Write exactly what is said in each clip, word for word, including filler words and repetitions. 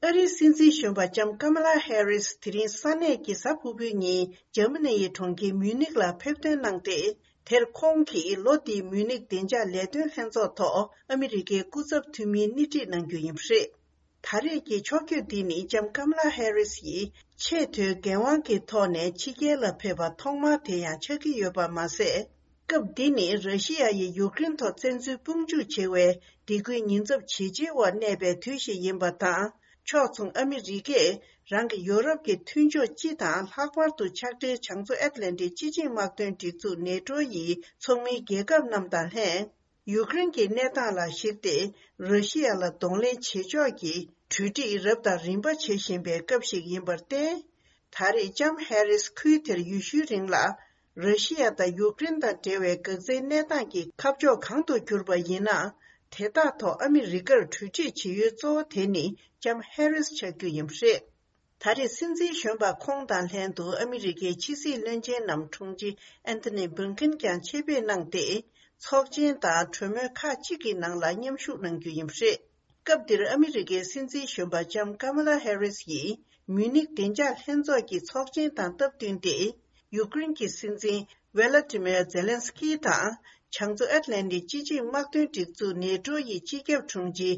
ཨ་རིའི་སྲིད་འཛིན་གཞོན་པ་ལྕམ་ཀ་མ་ལ་ཧེ་རིས་དེ་རིང་ས་གནས་ཀྱི་གཟའ་ཕུར་བུའི་ཉིན་འཇར་མ་ནི་ཡི་གྲོང་ཁྱེར་མིའུ་ནིག་ལ་ཕེབས་ཐོན་གནང་སྟེ། དེར་ཁོང་གིས་ལོ་འདིའི་མིའུ་ནིག་བདེ་འཇགས་ལས་དོན་ལྷན་ཚོགས་ཐོག་ཨ་མི་རི་ཀའི་སྐུ་ཚབ་འཐུས་མིའི་སྣེ་ཁྲིད་གནང་རྒྱུ་ཡིན་པ་རེད། ད་རེས་ཀྱི་ཕྱོགས་བསྐྱོད་འདི་ནི་ལྕམ་ཀམ་ལ་ཧེ་རིས་ཡིས་ཆེས་མཐོའི་འགན་དབང་གི་ཐོག་ནས་ཕྱི་རྒྱལ་ལ་ཕེབས་པ་ཐོག་མ་དེ་ཡང་ཆགས་ཀྱི་ཡོད་པ་མ་ཟད། སྐབས་འདི་ནི་ར་ཤི་ཡ་ཡིས་ཡུཀ་རེན་ཐོག་བཙན་འཛུལ་དཔུང་འཇུག་བྱེད་པའི་སྡིགས་སྐུལ་ཉེན་ཚབས་ཇེ་ཆེ་བར་གནས་པའི་དུས་ཤིག་ཡིན་པ་དང་། ཕྱོགས་མཚུངས་ཨ་མི་རི་ཀས་རང་གི་ཡོ་རོབ་ཀྱི་མཐུན་ཕྱོགས་སྤྱི་དང་ལྷག་པར་དུ་ཕྱག་སྦྲེལ་བྱང་མཚོ་ཨེཊ་ལན་ཊིག་སྤྱི་ཆིངས་དམག་དོན་སྒྲིག་འཛུགས་ནེ་ཊོ་ཡི་ཚོགས་མིའི་རྒྱལ་ཁབ་རྣམས་དང་ལྷན། ཡུཀ་རེན་གྱི་གནས་སྟངས་ལ་གཞིགས་ཏེ། ར་ཤི་ཡ་ལ་གདོང་ལེན་བྱེད་ཕྱོགས་ཀྱི་གྲོས་འགྲིག་རབ་དང་རིམ་པ་བྱེད་བཞིན་པའི་སྐབས་ཤིག་ཡིན་པར་བརྟེན། ད་རེས་ལྕམ་ཧེ་རིས་ཁུལ་དེར་ཡོད་ཤུལ་རིང་ལ། ར་ཤི་ཡ་དང་ཡུཀ་རེན་དང་འབྲེལ་བའི་འགག་རྩའི་གནས་སྟངས་ཀྱི་ཁ་ཕྱོགས་གང་དུ་གྱུར་པ་ཡིན་ན། དེ་དག་ཐོག་ཨ་མི་རི་ཀར་གྲོས་འགྲིག་བྱེད་ཡུལ་གཙོ་བོ་དེ་ནི་ལྕམ་ཧེ་རིས་ཆགས་རྒྱུ་ཡིན་པ་རེད། ད་རེས་སྲིད་འཛིན་གཞོན་པ་ཁོང་དང་ལྷན་དུ་ཨ་མི་རི་ཀའི་ཕྱི་སྲིད་བློན་ཆེན་ནམ་དྲུང་ཆེ་ཨན་ཐོ་ནི་བྷིལ་ཀིན་ཀྱང་ཆེད་ཕེབས་གནང་སྟེ། ཚོགས་ཆེན་དང་གྲོས་མོལ་ཁག་ཅིག་གི་ནང་ལ་མཉམ་ཞུགས་གནང་རྒྱུ་ཡིན་པ་རེད། སྐབས་འདིར་ཨ་མི་རི་ཀའི་སྲིད་འཛིན་གཞོན་པ་ལྕམ་ཀ་མ་ལ་ཧེ་རིས་ཡིས་མིའུ་ནིག་བདེ་འཇགས་ལྷན་ཚོགས་ཀྱི་ཚོགས་ཆེན་དང་སྟབས་བསྟུན་ཏེ། ཡུཀ་རེན་གྱི་སྲིད་འཛིན་ཝེ་ལ་ཏི་མེར་ཛེ་ལན་སི་ཀི་དང་། བྱང་མཚོ་ཨེཊ་ལན་ཏིག་སྤྱི་ཆིངས་དམག་དོན་སྒྲིག་འཛུགས་ནེ་ཊོ་ཡི་སྤྱི་ཁྱབ་དྲུང་ཆེ་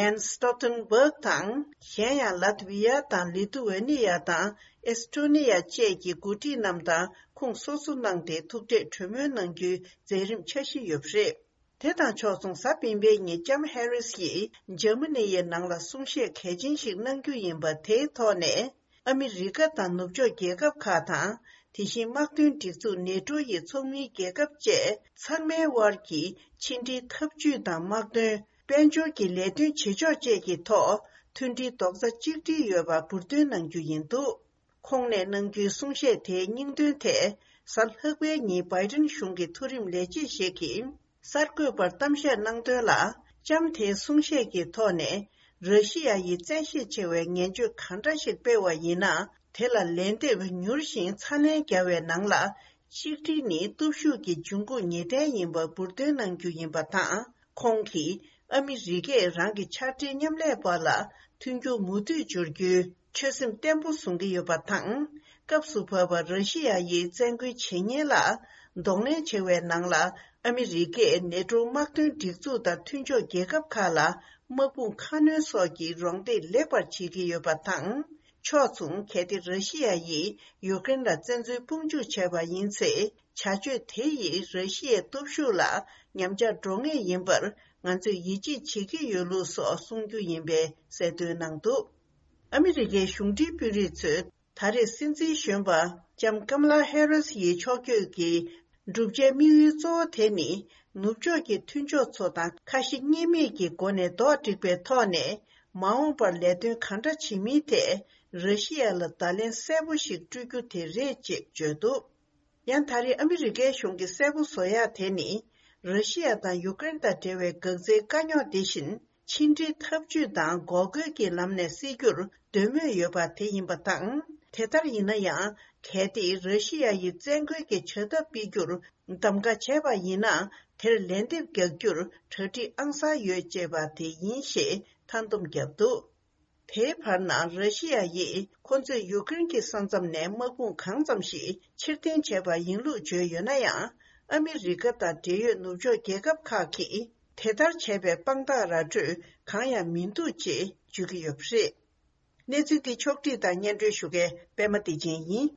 ཡན་སི་སྟོལ་ཏན་སྦག་དང་། གཞན་ཡང་ལ་ཏི་བི་ཡ་དང་ལི་ཐུ་ཝེ་ནི་ཡ་དང་ཨེ་སི་ཊོ་ནི་ཡ་བཅས་ཀྱི་འགོ་ཁྲིད་རྣམས་དང་ཁོང་སོ་སོ་གནང་སྟེ་ཐུག་འཕྲད་གྲོས་མོལ་གནང་རྒྱུའི་མཛད་རིམ་འཆར་གཞི་ཡོད་པ་རེད། དེ་དང་ཕྱོགས་མཚུངས་གཟའ་སྤེན་པའི་ཉིན་ལྕམ་ཧེ་རིས་ཡིས་འཇར་མ་ནི་ཡི་ནང་ལ་གསུང་བཤད་གལ་ཆེན་ཞིག་གནང་རྒྱུ་ཡིན་པ་དེའི་ཐོག་ནས། ཨ་མི་རི་ཀ་དང་ནུབ་ཕྱོགས་རྒྱལ་ཁབ་ཁག་དང་། དེ་བཞིན་དམག་དོན་སྒྲིག་འཛུགས་ནེ་ཊོ་ཡི་ཚོགས་མིའི་རྒྱལ་ཁབ་བཅས་ཚང་མའི་དབར་གྱི་ཕྱི་འབྲེལ་འཐབ་ཇུས་དང་དམག་དོན། དཔལ་འབྱོར་གྱི་ལས་དོན་བྱེད་ཕྱོགས་བཅས་ཀྱི་ཐོག་མཐུན་སྒྲིལ་རྡོག་རྩ་གཅིག་སྒྲིལ་ཡོད་པ་འབུར་འདོན་གནང་རྒྱུ་ཡིན་འདུག་ཁོང་ནས་གནང་རྒྱུའི་གསུང་བཤད་དེའི་སྙིང་དོན་ཐད། གཟའ་ལྷག་པའི་ཉིན་བྷའི་ཌེན་གཞུང་གི་མཐོ་རིམ་ལས་བྱེད་ཞིག་གིས། གསར་འགོད་པར་གཏམ་བཤད་གནང་དོན་ལ། ལྕམ་དེའི་གསུང་བཤད་ཀྱི་ཐོག་ནས། ར་ཤི་ཡ་ཡིས་བཙན་ཤེད་ཆེ་བའི་ངན་བྱུས་གང་འདྲ་ཞིག་སྤེལ་བ་ཡིན་ན། དེ་ལ་ལན་འདེབས་མྱུར་ཞིང་ཚ་ནན་རྒྱག་པའི་ནང་ལ། གཅིག་སྒྲིལ་ནི་སྟོབས་ཤུགས་ཀྱི་འབྱུང་ཁུངས་ངེས་གཏན་ཡིན་པ་འབུར་འདོན་གནང་རྒྱུ་ཡིན་པ་དང་། ཁོང་གིས་ཨ་མི་རི་ཀས་རང་གི་ཕྱག་སྦྲེལ་མཉམ་ལས་བར་ལ་མཐུན་འགྱུར་མུ་མཐུད་སྦྱོར་རྒྱུའི་ཆོད་སེམས་བརྟན་པོ་བཟུང་གི་ཡོད་པ་དང་། སྐབས་སུ་བབས་པ་ར་ཤི་ཡ་ཡིས་བཙན་རྒོལ་བྱེད་ཉེན་ལ་གདོང་ལེན་བྱེད་པའི་ནང་ལ། ཨ་མི་རི་ཀས་ནེ་ཊོ་དམག་དོན་སྒྲིག་འཛུགས་དང་མཐུན་ཕྱོགས་རྒྱལ་ཁབ་ཁག་ལ་དམག་དཔུང་ཁ་སྣོན་སོགས་ཀྱི་རོགས་འདེགས་ལེགས་པར་བྱེད་ཀྱི་ཡོད་པ་དང་། ཕྱོགས་མཚུངས། གལ་ཏེ་ར་ཤི་ཡ་ཡིས་ཡུཀ་རེན་ལ་བཙན་འཛུལ་དཔུང་འཇུག་བྱས་པ་ཡིན་ཚེ། བྱ་སྤྱོད་དེ་ཡིས་ར་ཤི་ཡའི་སྟོབས་ཤུགས་ལ་ཉམས་ཆག་འགྲོ་ངེས་ཡིན་པར་ང་ཚོས་ཡིད་ཆེས་བྱེད་ཀྱི་ཡོད་ལུགས་སོགས་གསུང་རྒྱུ་ཡིན་པའི་གསལ་སྟོན་གནང་འདུག་ཨ་མི་རི་ཀའི་གཞུང་འབྲེལ་དཔོན་རིགས་ཚོས་ད་རེས་སྲིད་འཛིན་གཞོན་པ་ལྕམ་ཀམ་ལ་ཧེ་རིས་ཡི་ཕྱོགས་བསྐྱོད་ཀྱི་བསྒྲུབ་བྱའི་དམིགས་ཡུལ་གཙོ་བོ་དེ་ནི། ནུབ་ཕྱོགས་ཀྱི་མཐུན་ཕྱོགས་ཚོ་དང་ཁ་ཞེ་གཉིས་མེད་ཀྱི་སྒོ་ནས་རྡོག་སྒྲིག་པའི་ཐོག་ནས། མ་འོངས་པར་ལས་དོན་གང་འདྲ་བྱེད་མིན་ཐད། ར་ཤི་ཡ་ལ་བརྡ་ལན་གསལ་པོ་ཞིག་སྤྲོད་རྒྱུ་དེ་རེད་ཅེས་བརྗོད་འདུག་ཡང་ད་རེས་ཨ་མི་རི་ཀའི་གཞུང་གིས་གསལ་པོ་བཟོ་ཡག་དེ་ནི། ར་ཤི་ཡ་དང་ཡུཀ་རེན་དང་འབྲེལ་བའི་འགག་རྩའི་དཀའ་རྙོག་འདི་བཞིན། ཕྱི་འབྲེལ་འཐབ་ཇུས་དང་འགོག་རྒོལ་གྱི་ལམ་ནས་སེལ་རྒྱུར་འདོད་མོས་ཡོད་པ་དེ་ཡིན་པ་དང་། དེ་ལྟར་ཡིན་ན་ཡང་། གལ་ཏེ་ར་ཤི་ཡ་ཡིས་བཙན་རྒོལ་གྱི་བྱ་ཐབས་སྤེལ་རྒྱུར་གདམ་ག་བྱས་པ་ཡིན་ན། དེར་ལན་འདེབས་རྒྱག་རྒྱུར་གྲ་སྒྲིག་ཨང་གསར་ཡོད་ཅེས་པ་དེ་ཡིན་ཞེས་མཐའ་སྡོམ་བརྒྱབ་འདུག་དེའི་བར་ན། ར་ཤི་ཡ་ཡིས་ཁོ་ཚོས་ཡུཀ་རེན་གྱི་ས་མཚམས་ནས་དམག་དཔུང་གང་ཙམ་ཞིག་ཕྱིར་འཐེན་བྱས་པ་ཡིན་ལུགས་བརྗོད་ཡོད་ན་ཡང་། ཨ་མི་རི་ཀ་དང་འབྲེལ་ཡོད་ནུབ་ཕྱོགས་རྒྱལ་ཁབ་ཁག་གིས་དེ་ལྟར་བྱས་པའི་དཔང་རྟགས་ར་སྤྲོད་གང་ཡང་མི་འདུག་ཅེས་བརྗོད་ཀྱི་ཡོད་པ་རེད། གནས་ཚུལ་འདི་ཕྱོགས་བསྒྲིགས་དང་སྙན་སྒྲོན་ཞུ་མཁན་པད་མ་བདེ་ཆེན་ཡིན།